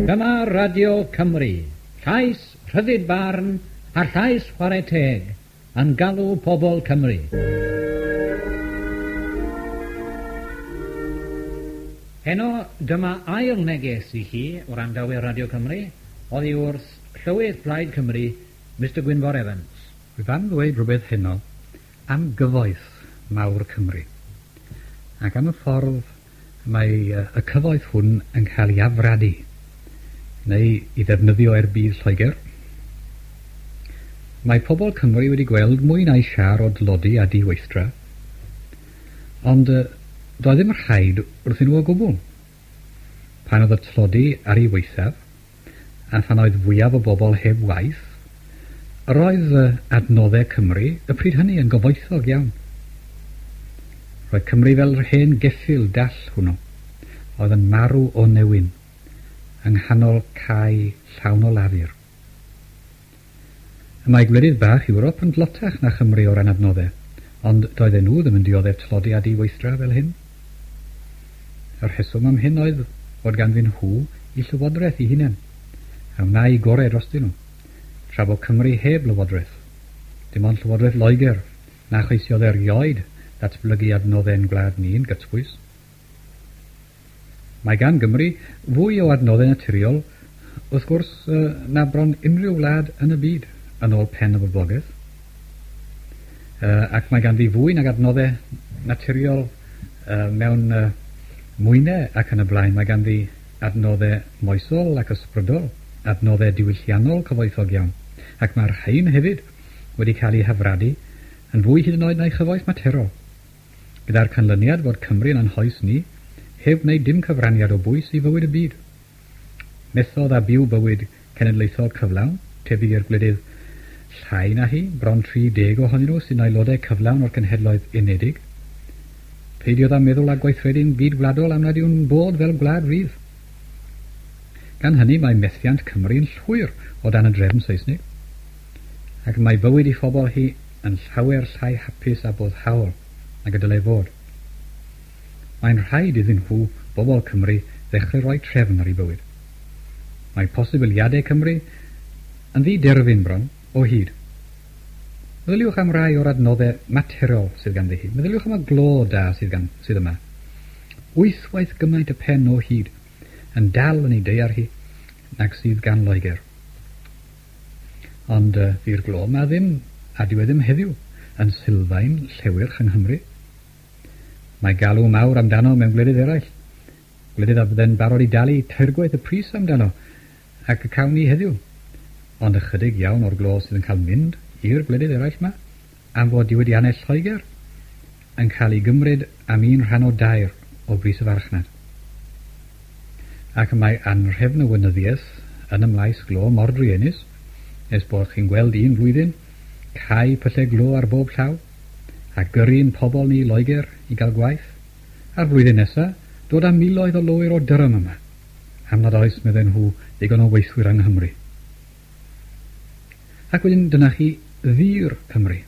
Dyma Radio Cymru, llais rhyddid barn a llais chwarae teg yn galw pobl Cymru. Heno, dyma ail neges i chi wrandawyr Radio Cymru oddi wrth Llywydd Plaid Cymru, Mr Gwynfor Evans. Rwyf am ddweud rhywbeth heno am gyfoeth mawr Cymru ac am y ffordd mae y cyfoeth hwn yn cael ei afradu neu i ddefnyddio er budd Lloegr. Mae pobl Cymru wedi gweld mwy na'i siâr o dlodi a diweithdra, ond doedd ddim rhaid wrthyn nhw o gwbl. Pan oedd y tlodi ar ei waethaf, a phan oedd fwyaf o bobl heb waith, yr oedd adnoddau Cymru y pryd hynny yn gyfoethog iawn. Roedd Cymru fel yr hen geffyl dall hwnnw, oedd yn marw o newyn, yng nghanol cae llawn o lafur. Y mae gwledydd bach Ewrop yn dlotach na Chymru o ran adnoddau, ond doedden nhw ddim yn dioddef tlodi a diweithdra fel hyn. Y rheswm am hyn oedd fod ganddyn nhw eu llywodraeth eu hunain, a wnâi gorau drostyn nhw, tra bo Cymru heb lywodraeth. Dim ond llywodraeth Loegr na cheisiodd erioed ddatblygu adnoddau'n gwlad ni'n gytbwys. Mae gan Gymru fwy o adnoddau naturiol, wrth gwrs, na bron unrhyw wlad yn y byd, yn ôl pen y boblogaeth. Ac mae ganddi fwy nag adnoddau naturiol mewn mwynau ac yn y blaen. Mae ganddi adnoddau moesol ac ysbrydol, adnoddau diwylliannol cyfoethog iawn. Ac mae'r rhain hefyd wedi cael eu hafradu yn fwy hyd yn oed na'i chyfoeth materol. Gyda'r canlyniad fod Cymru yn anhoes ni, heb wneud dim cyfraniad o bwys i fywyd y byd. Methodd â byw bywyd cenedlaethol cyflawn, tebyg i'r gwledydd llai na hi, bron 30 ohonyn nhw sy'n aelodau cyflawn o'r Cenhedloedd Unedig. Peidiodd â meddwl a gweithredu'n gyd-wladol am nad yw'n bod fel gwlad rydd. Gan hynny mae methiant Cymru'n llwyr o dan y drefn Seisnig, ac mae bywyd ei phobl hi yn llawer llai hapus a boddhaol nag y dylai fod. Mae'n rhaid iddyn nhw, bobl Cymru, ddechrau rhoi trefn ar eu bywyd. Mae posibiliadau Cymru yn ddi-derfyn bron, o hyd. Meddyliwch am rai o'r adnoddau materol sydd ganddi hi. Meddyliwch am y glo da sydd, gan, sydd yma. Wythwaith gymaint y pen o hyd yn dal yn ei daear hi nag sydd gan Loegr. Ond fu'r glo yma ddim, a dyw e ddim heddiw, yn sylfaen llewyrch yng Nghymru. Mae galw mawr amdano mewn gwledydd eraill, gwledydd a fydde'n barod i dalu teirgwaith y pris amdano, ac y cawn ni heddiw. Ond ychydig iawn o'r glo sydd yn cael mynd i'r gwledydd eraill 'ma, am fod diwydiannau Lloegr yn cael ei gymryd am un rhan o dair o bris y farchnad. Ac y mae anrhefn y weinyddiaeth yn y maes glo mor druenus, nes bod chi'n gweld un flwyddyn, cau pyllau glo ar bob llaw, a gyrru'n pobl ni i Loegr i gael gwaith, a'r flwyddyn nesa, dod â miloedd o lowyr o Durham yma, am nad oes, medden nhw, ddigon o weithwyr yng Nghymru. Ac wedyn dyna chi ddur Cymru.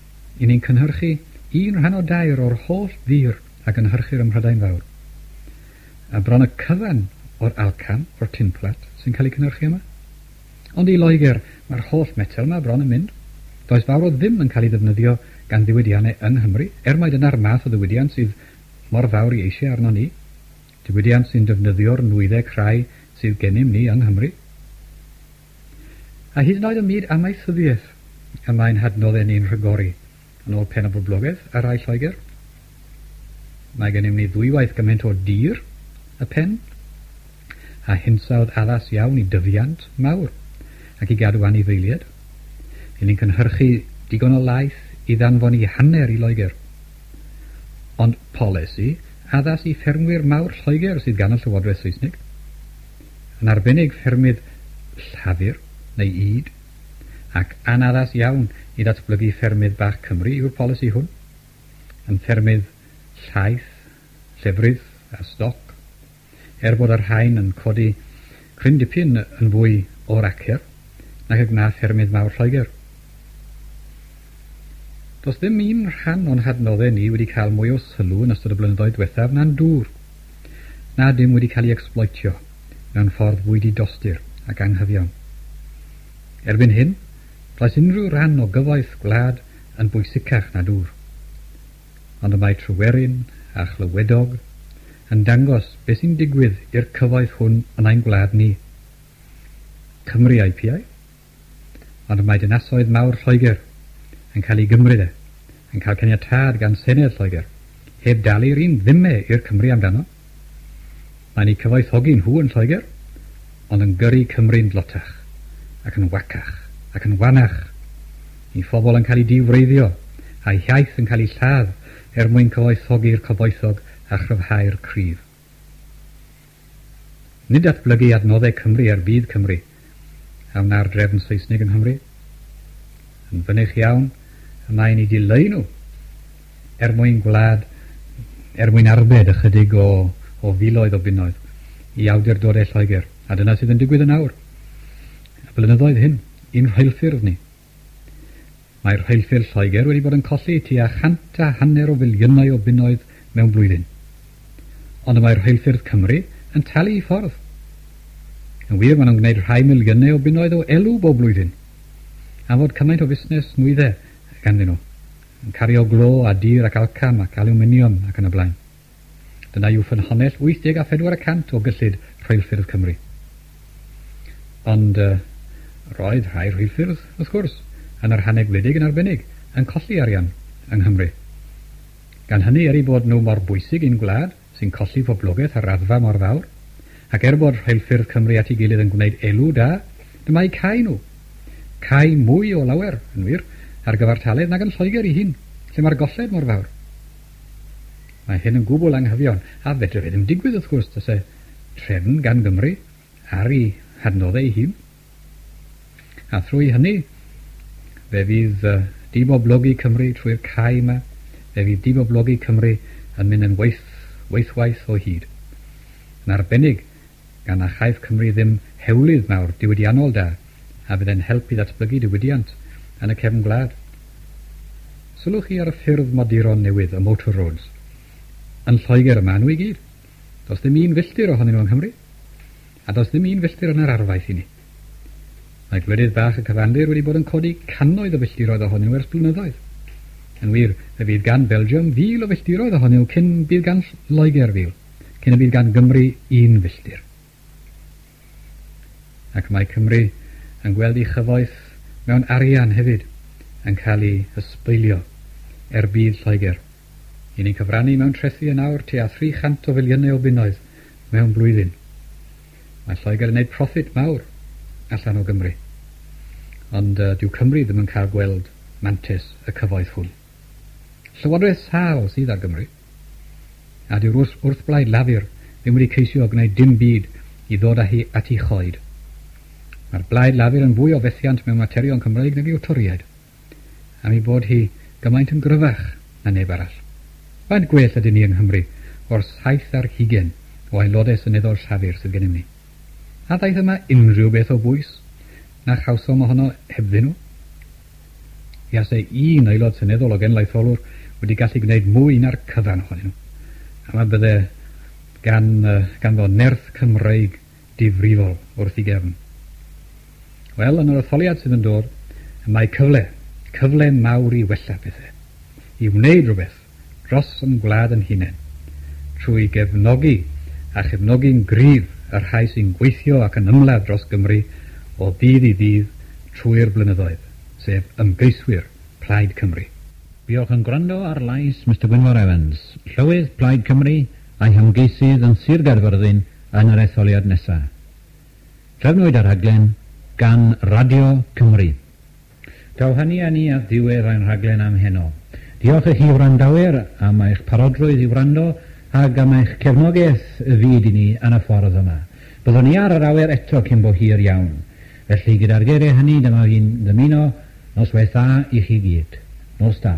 I ni'n cynhyrchu un rhan o dair o'r holl ddur a gynhyrchir ym Mhrydain Fawr. A bron y cyfan o'r alcan, o'r tinplat, sy'n cael ei cynhyrchu yma. Ond i Loegr mae'r holl metel yma bron yn mynd. Does fawr o ddim yn cael ei ddefnyddio gan ddiwydiannau yng Nghymru, er mai dyna'r math o ddiwydiant sydd mor fawr ei eisiau arnon ni. Diwydiant sy'n defnyddio'r nwyddau crai sydd gennym ni yng Nghymru. A hyd yn oed ym myd amaethyddiaeth y mae'n hadnoddau ni'n rhagori, yn ôl pen y boblogaeth ar rai Lloegr. Mae gennym ni ddwywaith gymaint o dir y pen, a hinsawdd addas iawn i dyfiant mawr ac i gadw anifeiliaid. Ry'n ni'n cynhyrchu digon o laeth i ddanfon i hanner i Loegr. Ond polisi addas i ffermwyr mawr Lloegr sydd gan y Llywodraeth Saesnig. Yn arbennig ffermydd llafur neu ŷd, ac anaddas iawn i ddatblygu ffermydd bach Cymru yw'r polisi hwn, yn ffermydd llaeth, llefrith a stoc, er bod y rhain yn codi cryn dipyn yn fwy o'r acer nag y gwna ffermydd mawr Lloegr. Does ddim un rhan o'n hadnoddau ni wedi cael mwy o sylw yn ystod y blynyddoedd diwethaf na'n dŵr. na dim wedi cael ei exploitio mewn ffordd fwy didostur ac anghyfiawn. Erbyn hyn, does unrhyw ran o gyfoeth gwlad yn bwysicach na dŵr. Ond y mae Tryweryn a Chlywedog yn dangos beth sy'n digwydd i'r cyfoeth hwn yn ein gwlad ni. Cymru a'i piau, ond y mae dinasoedd mawr Lloegr yn cael ei gymryd e, yn cael caniatâd gan Senedd Lloegr, heb dalu'r un ddime i'r Cymru amdano. Mae'n eu cyfoethogi nhw yn Lloegr, ond yn gyrru Cymru'n dlotach, ac yn wacach, ac yn wanach. Ei phobl yn cael eu diwreiddio, a'i hiaith yn cael ei lladd er mwyn cyfoethogi'r cyfoethog a chryfhau'r cryf. Nid datblygu adnoddau Cymru er budd Cymru a wna'r drefn Saesneg yng Nghymru. Yn fynych iawn, y mae'n eu dileu nhw er mwyn gwlad, er mwyn arbed ychydig o, o filoedd o bunnoedd i awdurdodau Lloegr. A dyna sydd yn digwydd yn awr. Y blynyddoedd hyn, i'n rheilffyrdd ni. Mae'r rheilffyrdd Lloegr wedi bod yn colli tua 150 o filiynau o bunnoedd mewn blwyddyn. Ond y mae'r rheilffyrdd Cymru yn talu i ffordd. Yn wir, maen nhw'n gwneud rhai miliynau o bunnoedd o elw bob blwyddyn. Am fod cymaint o fusnes nwyddau ganddyn nhw, yn cario glo a dur ac alcam ac alwminiwm ac yn y blaen. Dyna yw ffynhonnell 84% o gyllid rheilffyrdd Cymru. Ond roedd rhai rheilffyrdd, wrth gwrs, yn yr rhannau gwledig yn arbennig, yn colli arian yng Nghymru. Gan hynny, er eu bod nhw mor bwysig i'n gwlad, sy'n colli poblogaeth ar raddfa mor fawr, ac er bod rheilffyrdd Cymru at ei gilydd yn gwneud elw da, dyma eu cau nhw. Cau mwy o lawer, yn wir, ar gyfartaledd nag yn Lloegr ei hun, lle mae'r golled mor fawr. Mae hyn yn gwbl anghyfiawn, a fedre fe ddim digwydd, wrth gwrs, tase trefn gan Gymru ar ei hadnoddau ei hun. A thrwy hynny, fe fydd diboblogi Cymru trwy'r cau yma, fe fydd diboblogi Cymru yn mynd yn waeth, waethwaith o hyd. Yn arbennig, gan na chaiff Cymru ddim hewlydd mawr diwydiannol da, a fydd e'n help i ddatblygu diwydiant yn y cefn gwlad. Sylwch chi ar y ffyrdd moduron newydd, y motor roads. Yn Lloegr y maen nhw i gyd. Does ddim un filltir ohonyn nhw yng Nghymru. A does ddim un filltir yn yr arfaeth i ni. Mae gwledydd bach y cyfandir wedi bod yn codi cannoedd o filltiroedd ohonyn nhw ers blynyddoedd. Yn wir, fe fydd gan Belgium 1,000 o filltiroedd ohonyn nhw cyn bydd gan Loegr 1,000, cyn y bydd gan Gymru un filltir. Ac mae Cymru yn gweld ei chyfoeth mewn arian hefyd yn cael ei ysbeilio er budd Lloegr. I ni'n cyfrannu mewn trethi yn awr tua 300 o filiynau o bunnoedd mewn blwyddyn. Mae Lloegr yn gwneud proffit mawr allan o Gymru. Ond dyw Cymru ddim yn cael gweld mantais y cyfoeth hwn. Llywodraeth sâl sydd ar Gymru, a dyw'r wrthblaid Lafur ddim wedi ceisio gwneud dim byd i ddod â hi at ei choed. Mae'r blaid Lafur yn fwy o fethiant mewn materion Cymreig nag yw'r Torïaid, am ei bod hi gymaint yn gryfach na neb arall. Faint gwell ydyn ni yng Nghymru o'r 27 o aelodau seneddol Llafur sydd gennym ni? A ddaeth yma unrhyw beth o bwys na chawsom ohono hebddyn nhw? Fuasai un aelod seneddol o genedlaetholwr wedi gallu gwneud mwy na'r cyfan ohonyn nhw. A ma bydde gan, ganddo nerth Cymreig difrifol wrth ei gefn. Wel, yn yr etholiad sydd yn dod, y mae cyfle, cyfle mawr i wella pethau, i wneud rhywbeth dros yn gwlad yn hunain, trwy gefnogi a chefnogi'n gryf y rhai sy'n gweithio ac yn ymladd dros Gymru o ddydd i ddydd trwy'r blynyddoedd, sef ymgeiswyr Plaid Cymru. Buoch yn gwrando ar lais Mister Gwynfor Evans, Llywydd Plaid Cymru a'i hymgeisydd yn Sir Gaerfyrddin yn yr etholiad nesaf. Trefnwyd y rhaglen gan Radio Cymru. Daw hynny â ni at ddiwedd ein rhaglen am heno. Diolch i chi wrandawyr am eich parodrwydd i wrando ac am eich cefnogaeth fyd i ni yn y ffordd yma. Byddwn ni ar yr awyr eto cyn bo hir iawn. Felly gyda'r geiriau hynny dyma fi'n ddymuno noswaith dda i chi gyd. Nos da.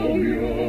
Enw Cofion.